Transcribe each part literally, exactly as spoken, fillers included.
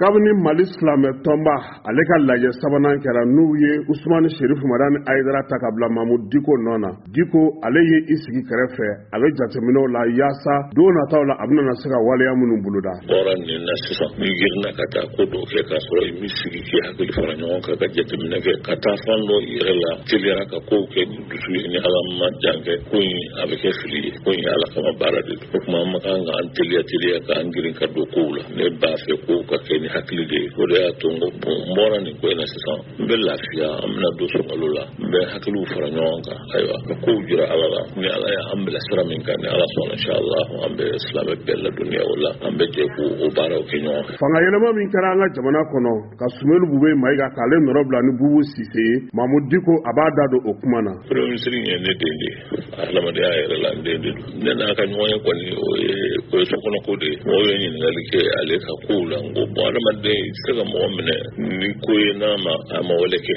Kabini Mali silamɛ tɔnba ale ka lajɛ sabanan kɛra, n'u ye Usumani Serifu Madani Ayidara ta ka bila Mamudu Diko nɔ na, Diko ale ye i sigi kɛrɛfɛ, a bɛ jateminɛw la yaasa don nataw la a bɛna se ka waleya minnu boloda. Bɔra nin na sisan, n'i girinna ka taa ko dɔw kɛ k'a sɔrɔ i b'i sigi k'i hakili fara ɲɔgɔn kan ka jateminɛ kɛ ka taa fan dɔ i yɛrɛ la teliyara ka kow kɛ ni dusu ye, ni Ala ma jan kɛ, ko in a bɛ kɛ fili ye. Ko in Ala kama baara de don. O tuma an ma kan k'an teliya teliya k'an girin ka don kow la. Ne b'a fɛ kow ka kɛ ni hakili de ye. O de y'a to n ko bon, n bɔra nin ko in na sisan, n bɛ lafiya. An bɛna don sunkalo la, n bɛ hakiliw fara ɲɔgɔn kan, ayiwa, ka kow jira Ala la. Ni Ala y'an bila sira min kan, ni Ala sɔnna, inshallah, an bɛ silamɛ bɛɛ ladɔnniya o la, an bɛ jɛ k'o o baaraw kɛ ɲɔgɔn fɛ. Fanga yɛlɛma min kɛra an ka jamana kɔnɔ ka Sumelu Bube Mayiga k'ale nɔrɔ bila ni Bubu Sise ye, Mamudu Diko a b'a da don o kuma na. Premier ministre ye ne den de ye, adamadenya yɛrɛ la n den de don. Ne n'a ka ɲɔgɔn ye kɔni, o ye o ye sokɔnɔ ko de ye. Mɔgɔw ye ɲininkali kɛ ale ka kow la. N ko bon, adamaden i tɛ se ka mɔgɔ minɛ ni ko ye n'a ma a ma wale kɛ.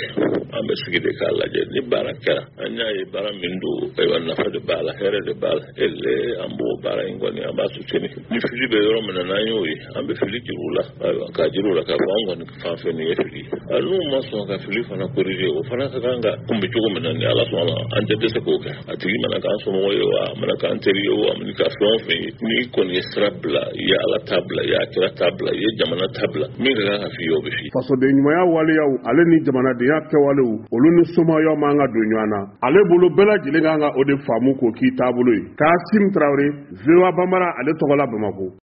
An bɛ sigi de k'a lajɛ ni baara kɛra, an y'a ye baara min don, ayiwa, nafa de b'a la, hɛrɛ de b'a la. Ele an b'o baara in kɔni, an b'a soutenir. Ni fili bɛ yɔrɔ min na, n'an y'o ye, an bɛ fili jir'u la, ayiwa, k'a jir'u la k'a fɔ an kɔni fan fɛ nin ye fili ye. N'u ma sɔn ka fili fana corriger, o fana ka kan ka kunbɛ cogo min na, ni Ala sɔnna, an tɛ dɛsɛ k'o kɛ. A tigi mana k'an somɔgɔ ye o, a mana k'an teri ye o, a mana k'a fɛn o fɛn ye, n'i kɔni ye sira bila, i ye Ala ta bila, i ye a kira ta bila, i ye jamana ta bila, min ka kan ka f'i ye, o bɛ f'i ye. Fasoden ɲumanya waleyaw ale ni jamanadenya kɛwalew, olu ni somayaw man ka don ɲɔgɔn na. Ale bolo, bɛɛ lajɛlen kan ka o de faamu k'o k'i taabolo ye. Kasim Tarawele, V O A Bambara ale tɔgɔ la, Bamako.